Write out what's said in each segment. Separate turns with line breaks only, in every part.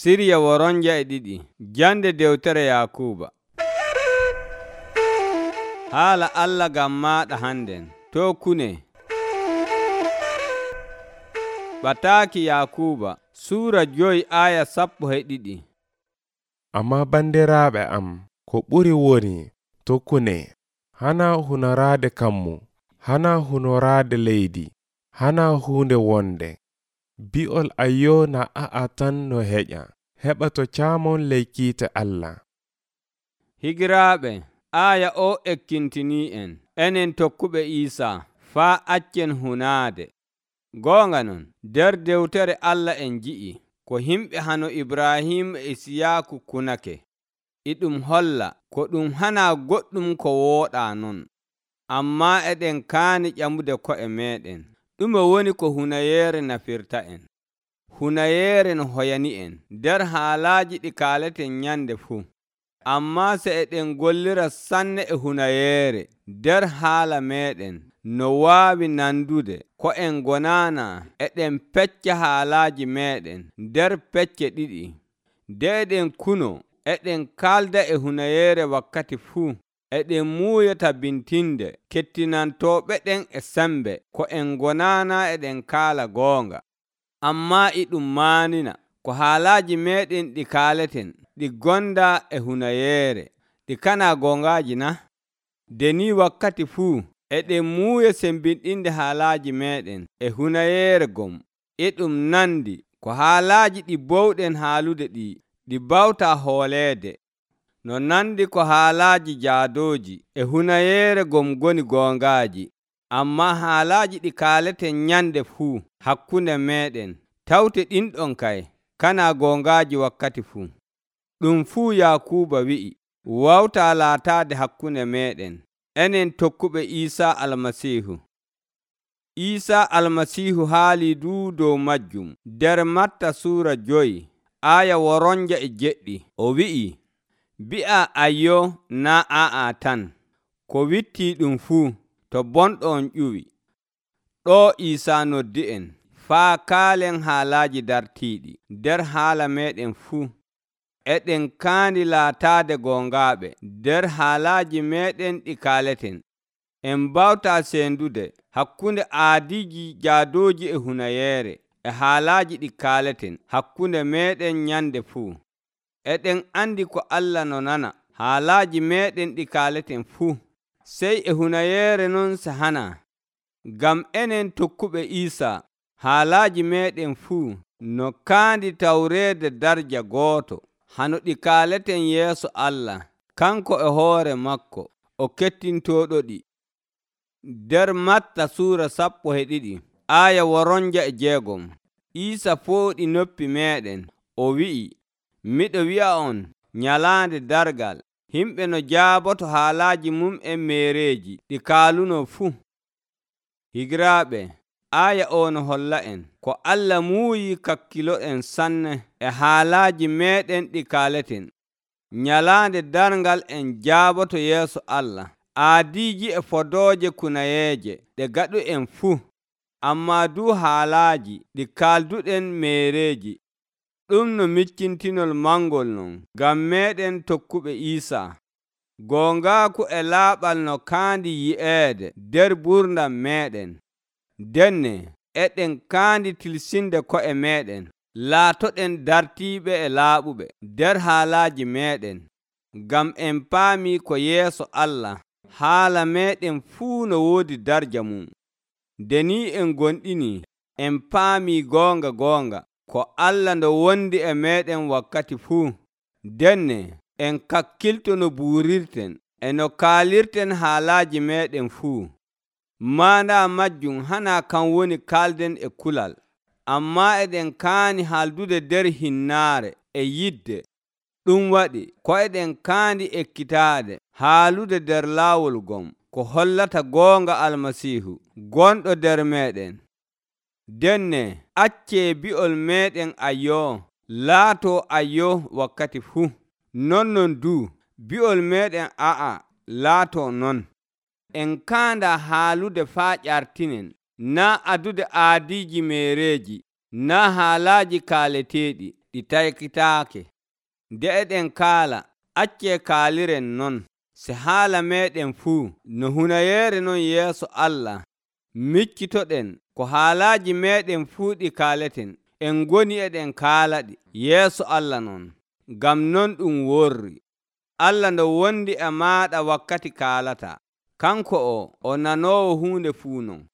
Sirya woronja e ɗiɗi. Jande dewtere Yakuba. Haala Allah gam maɗa hannden. To kune. Ɓataaki Yakuba Suura 5 aya 12.
Amma bandiraaɓe am, ko ɓuri woni tokkune, hana hunoraade kammu, hana hunoraade leydi, hana huunde wonde. Bi'ol ayyo na a'a tan no heƴa, heɓa to caamon ley kiite Allah.
Higiraaɓe, aya o ekkintinii en, enen tokkuɓe Iisaa, faa accen hunaade. Goonga non, nder dewtere Allah en ji'i, ko himɓe hano Ibrahim e Isiyaaku kunake. Ɗum holla ko ɗum hana goɗɗum ko wooɗaa non. Ammaa eɗen kaani ƴamude ko'e meeɗen. Ɗume woni ko hunayeere nafirta en? Hunayeere no hoyani en nder haalaaji ɗi kaaleten nyande fuu. Ammaa se eɗen gollira sanne e hunayeere nder haala meeɗen, no waawi nandude ko en gonaana eɗen pecca haalaaji meeɗen nder pecce ɗiɗi. Nde eɗen kuno, eɗen kaalda e hunayeere wakkati fuu. Eɗen muuya tabintinde kettinantooɓeɗen e sembe ko en gonaana eɗen kaala goonga. Ammaa ɗum maanina ko haalaaji meeɗen ɗi kaaleten ɗi gonda e hunayeere, ɗi kana gongaaji na? Deni wakkati fuu eɗen muuya sembinɗinde haalaaji meeɗen e hunayeere gom. Ɗum nandi ko haalaaji ɗi bowɗen haalude ɗi bawta hooleede. No nandi ko haalaaji jaadooji e hunayeere gom goni gongaaji. Ammaa haalaaji ɗi kaaleten nyande fuu hakkunde meeɗen, tawte ɗinɗon kay kana gongaaji wakkati fuu. Ɗum fuu Yakuba wi'i wawta laataade hakkunde meeɗen, enen tokkuɓe Iisaa Almasiihu. Iisaa Almasiihu haali dow majjum nder Matta Suura 5 aya woronja e 7. O wi'i, bi'a ayyo na a'a tan, ko witti ɗum fuu to bonɗon ƴuwi. Ɗo Iisaa noddi en faa kaalen haalaaji dartiiɗi nder haala meeɗen fuu. Eɗen kaandi laataade gongaaɓe nder haalaaji meeɗen ɗi kaaleten. En mbawta sendude hakkunde aadiiji jaadooji e hunayeere e haalaaji ɗi kaaleten hakkunde meeɗen nyande fuu. Eɗen andi ko Allah no nana haalaaji meeɗen ɗi kaaleten fuu, sey e hunayeere non se hana. Ngam enen tokkuɓe Iisaa, haalaaji meeɗen fuu no kaandi tawreede darja gooto, hano ɗi kaaleten yeeso Allah, kanko e hoore makko o kettintooɗoɗi. Nder Matta Suura 12 aya woronja e 6, Iisaa fooɗi noppi meeɗen, o wi'i, miɗo wi'a on, nyalaande dargal, himɓe no jaaboto haalaaji mum'en meereeji ɗi kaaluno fuu. Higiraaɓe, aya o no holla en ko Allah muuyi kakkiloɗen sanne e haalaaji meeɗen ɗi kaaleten. Nyalaande darngal en jaaboto yeeso Allah, aadiiji e fodooje kunayeeje ɗe gaɗu'en fuu, ammaa du haalaaji ɗi kaalduɗen meereeji. Ɗum no miccintinol mangol non ngam meeɗen tokkuɓe Iisaa. Gongaaku e laaɓal no kaandi yi'eede nder gurdam meeɗen. Denne eɗen kaandi tilsinde ko'e meeɗen, laatoɗen dartiiɓe e laaɓuɓe nder haalaaji meeɗen, ngam en paami ko yeeso Allah haala meeɗen fuu no woodi darja mum. Deni en gonɗini, en paami goonga ko Allah ndo wondi e meeɗen wakkati fuu. Denne en kakkilto no buurirten e no kaalirten haalaaji meeɗen fuu. Maana majjum hana kan woni kaalden e kulal, ammaa eɗen kaani haaldude nder hinnaare e yidde. Ɗum waɗi ko eɗen kaandi ekkitaade haalude nder laawol gom ko hollata goonga Almasiihu gonɗo nder meeɗen. Denne accee bi'ol meeɗen ayyo laato ayyo wakkati fuu. Non du bi'ol meeɗen a'a laato non. En kaanda haalude faa ƴartinen, na adude aadiiji meereeji, na haalaaji kaaleteeɗi, ɗi taykitaake. Nde eɗen kaala, accee kaaliren non, se haala meeɗen fuu no hunayeere non yeeso Allah. Miccitoɗen ko haalaaji meeɗen fuu ɗi kaaleten, en ngoni eɗen kaalaɗi yeeso Allah non. Ngam non ɗum worri. Allah ndo wondi e maaɗa wakkati kaalata. Kanko o nanoowo huunde fuu non.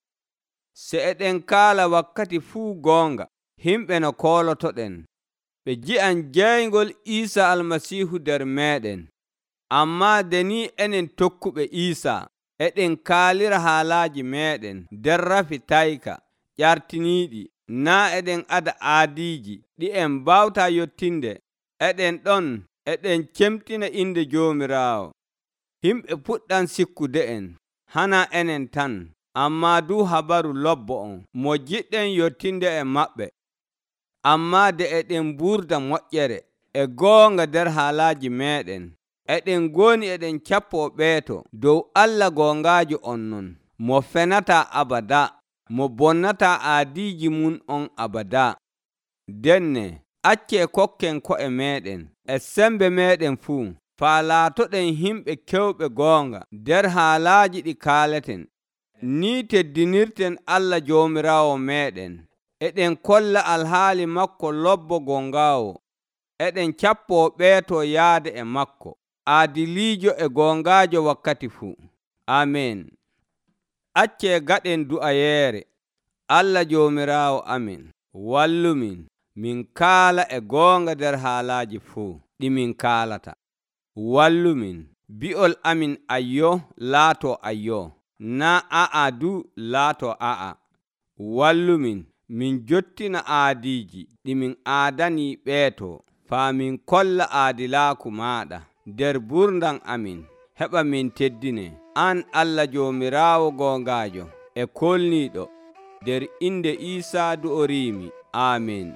Se eɗen kaala wakkati fuu goonga, himɓe no koolotoɗen, ɓe ji'an jeyngol Iisa Almasiihu nder meeɗen. Ammaa de ni enen tokkuɓe Iisa eɗen kaalira haalaaji meeɗen nder rafi tayka ƴartiniiɗi, naa eɗen ada aadiiji ɗi en mbawtaa yottinde. Eɗen ɗon eɗen cemtina inde Joomiraawo. Himɓe puɗɗan sikkude'en, hana enen tan, ammaa du habaru lobbo on mo jiɗɗen yottinde e maɓɓe. Ammaa de eɗen mburda moƴƴere e goonga nder haalaaji meeɗen, eɗen ngoni eɗen cappoo ɓeeto dow Allah goongaajo on non, mo fenataa abada, mo bonnataa aadiiji mum on abada. Denne accee kokken ko'e meeɗen e sembe meeɗen fuu, faa laatoɗen himɓe kewɓe goonga nder haalaaji ɗi kaaleten. Ni teddinirten Allah Joomiraawo meeɗen. Eɗen kolla alhaali makko lobbo gongaawo. Eɗen cappoo ɓeeto yaade e makko, aadiliijo e gongaajo wakkati fuu. Amen. Accee gaɗen du'ayeere. Allah Joomiraawo amin, wallumin min kaala e goonga nder haalaaji fuu ɗi min kaalata. Wallumin bi'ol amin ayyo laatoo ayyo, naa a'a du laatoo a'a. Wallumin min jottina aadiiji ɗi min aadanii ɓeeto, faa min kolla aadilaaku maaɗa nder burndam amin, heɓa min teddine an Allah Joomiraawo goongaajo e kolniiɗo, nder inde Iisaa du'oriimi. Amin.